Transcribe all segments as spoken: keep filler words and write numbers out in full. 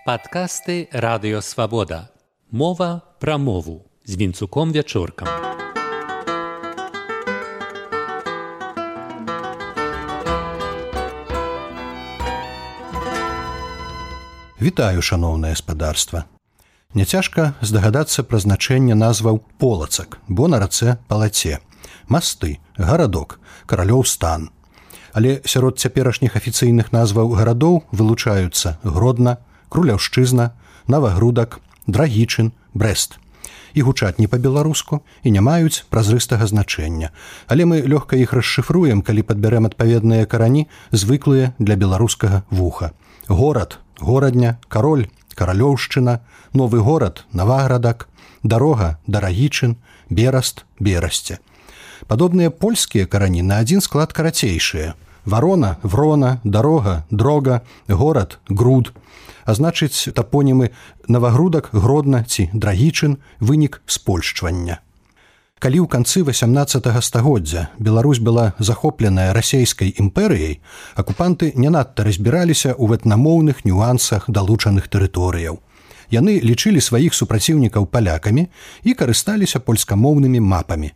Падкасты Радыё Свабода. Мова пра мову з Вінцуком Вячоркам. Вітаю, шаноўнае спадарства. Няцяжка здагадацца пра значэнне назваў полацак, бо на рацэ палаце, масты, гарадок, каралёў стан. Але сярод цяперашніх афіцыйных назваў гарадоў вылучаюцца Гродна, Круляўшчызна, Навагрудак, Драгічын, Брэст. І гучаць не па-беларуску і не маюць празрыстага значэння. Але мы лёгка іх расшыфруем, калі падбярэм адпаведныя карані, звыклыя для беларускага вуха. Горад, горадня, кароль, каралёўшчына, новы горад, Наваградак, дарога, Дарагічын, Бераст, Берасце. Падобныя польскія карані на адзін склад карацейшыя. Варона, Врона, дарога, дрога, горад, груд. А значыць, тапонімы Навагрудак, Гродна ці Драгічын – вынік спольшчвання. Калі ў канцы васямнаццатага стагоддзя Беларусь была захопленая расейскай імперыяй, акупанты не надта разбіраліся ў этнамоўных нюансах далучаных тэрыторыяў. Яны лічылі сваіх супраціўнікаў палякамі і карысталіся польскамоўнымі мапамі.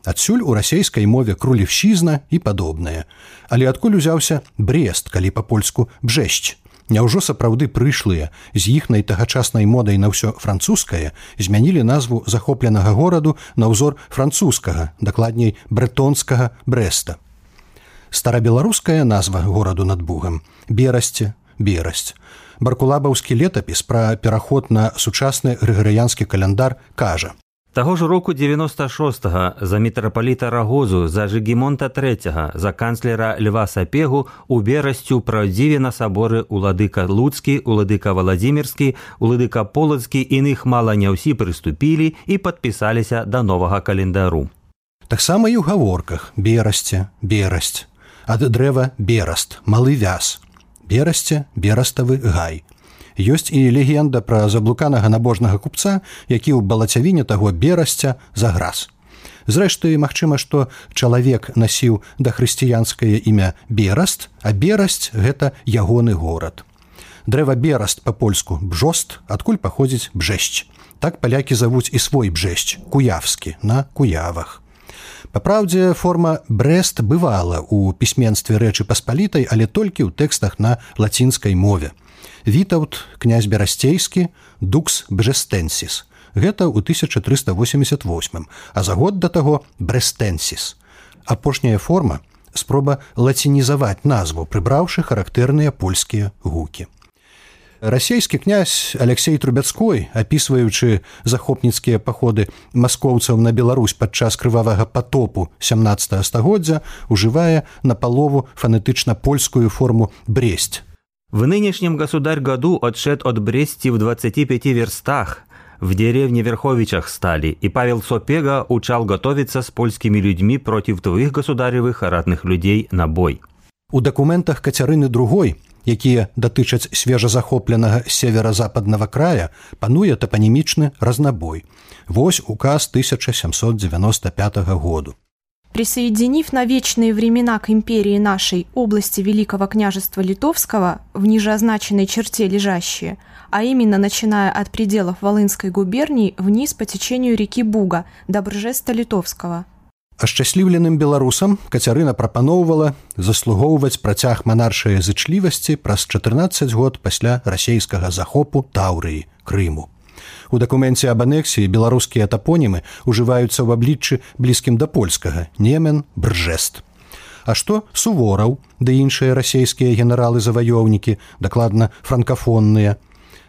Адсюль у расейскай мове крулевшчызна і падобнае. Але адкуль узяўся Брест, калі па-польску Бжэсць? Няўжо сапраўды прышлыя з іхнай тагачаснай модай на ўсё французскае змянілі назву захопленага гораду на ўзор французскага, дакладней брэтонскага Брэста. Старабеларуская назва гораду над Бугам – Берасце, Берасць. Баркулабаўскі летапіс пра пераход на сучасны грыгарыянскі каляндар кажа: Таго ж року дзевяноста шостага за мітрапаліта Рагозу, за Жыгімонта трэцяга, за канцлера Льва Сапегу у Берасцю праўдзіве на саборы уладыка Луцкі, уладыка Валадзімірскі, уладыка Полацкі, іных мала не ўсі прыступілі і падпісаліся да новага календару. Таксама і ў гаворках Берасце, Берасць, ад дрэва Бераст, малы вяз, Берасце, Бераставы гай. Ёсць і легенда пра заблуканага набожнага купца, які ў балацявіне таго Берасця заграз. Зрэшты, магчыма, што чалавек насіў дахрысціянскае імя Бераст, а Берасць – гэта ягоны горад. Дрэва Бераст па-польску Бжост, адкуль паходзіць Бжэсць. Так палякі завуць і свой Бжэсць, куявскі, на Куявах. Папраўдзе, форма Брэст бывала ў пісьменстве Рэчы Паспалітай, але толькі ў тэкстах на лацінскай мове. Вітаўт, князь Берасцейскі, Дукс Бжэстэнсіс. Гэта ў тысяча трыста восемьдесят восьмым, а за год да таго Брэстэнсіс. Апошняя форма – спроба лацінізаваць назву, прыбраўшы характэрныя польскія гукі. Расейскі князь Алексей Трубецкой, апісваючы захопніцкія паходы маскоўцаў на Беларусь падчас крывавага патопу сямнаццатага стагоддзя, ужывае напалову фонетычна польскую форму «Бресть». В нынешнем государь году отшед от Брести в двадцати пяти верстах. В деревне Верховичах стали, и Павел Сапега учал готовиться с польскими людьми против твоих государевых ратных людей на бой. У дакументах Кацярыны другой, якія датычаць свежазахопленага северо-западнага края, пануе топонімічны разнабой. Вось указ тысяча семьсот девяносто пятого году. Присоединив на вечные времена к империи нашей области Великого княжества Литовского в нижеозначенной черте лежащие, а именно начиная от пределов Волынской губернии вниз по течению реки Буга до Бржеста Литовского. Ашчасліўленым беларусам Кацярына прапаноўвала заслугоўваць працяг манаршай зычлівасці праз чатырнаццаць год пасля расейскага захопу Таўрыі, Крыму. У дакуменце аб анексіі беларускія тапонімы ўжываюцца ў абліччы блізкім да польскага – Немен, Бржест. А што Сувораў, ды іншыя расейскія генералы-заваёўнікі, дакладна франкафонныя?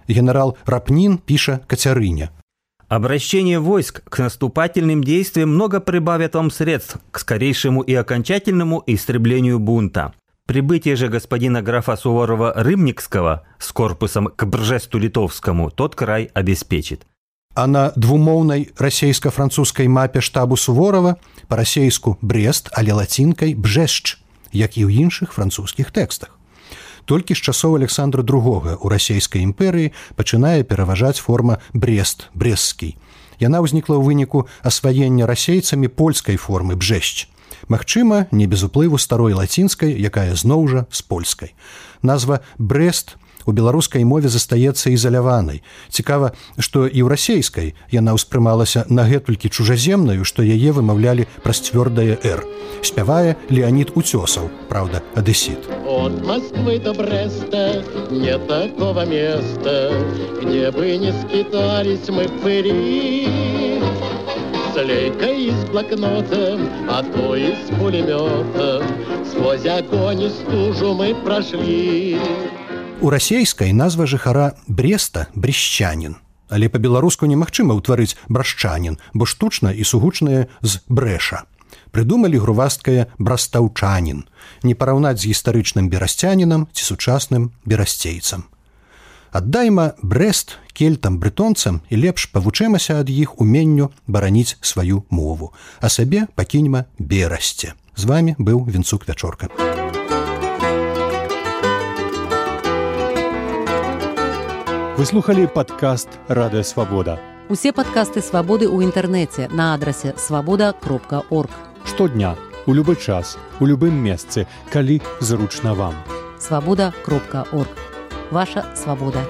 Генерал Рапнін піша Кацярыне: Обращение войск к наступательным действиям много прибавит вам средств к скорейшему и окончательному истреблению бунта. Прибытие же господина графа Суворова-Рымникского с корпусом к Бржесту-Литовскому тот край обеспечит. А на двумоўнай расейска-французскай мапе штабу Суворова па-расейску Брест, але лацінкай Бжэсч, як і ў іншых французскіх тэкстах. Толькі з часоў Александра другога ў расейскай імперыі пачынае пераважаць форма Брест, Брестскі. Яна ўзнікла ў выніку асваення расейцамі польскай формы Бжэсч. Магчыма, не без уплыву старой лацінскай, якая зноў жа з польскай. Назва Брест У беларускай мове застаецца ізаляванай. Цікава, што і ў расейскай яна ўспрымалася нагэтулькі чужаземнаю, што яе вымаўлялі праз цвёрдае «р». Спявае Леонид Утесов, правда, одессит. От Москвы до Бреста нет такого места, где бы не скитались мы пыри. С лейкой и с блокнотом, а то и с пулеметом, сквозь огонь и стужу мы прошли. У расейскай назва жыхара Бреста брещанін, але па-беларуску немагчыма ўтварыць брашчанін, бо штучна і сугучнае з брэша. Прыдумалі грувасткае брастаўчанін, не параўнаць з гістарычным берасцянінам ці сучасным берасцейцам. Аддайма Брест кельтам, брэтонцам і лепш павучэмася ад іх уменню бараніць сваю мову, а сабе пакіньма берасце. З вамі быў Вінцук Вячорка. Вы слухали падкаст «Радыё Свабода». Усе падкасты «Свабоды» ў інтэрнэце на адрасе свабода кропка орг. Штодня, у любы час, у любым месцы, калі зручна вам. свабода кропка орг. Ваша свабода.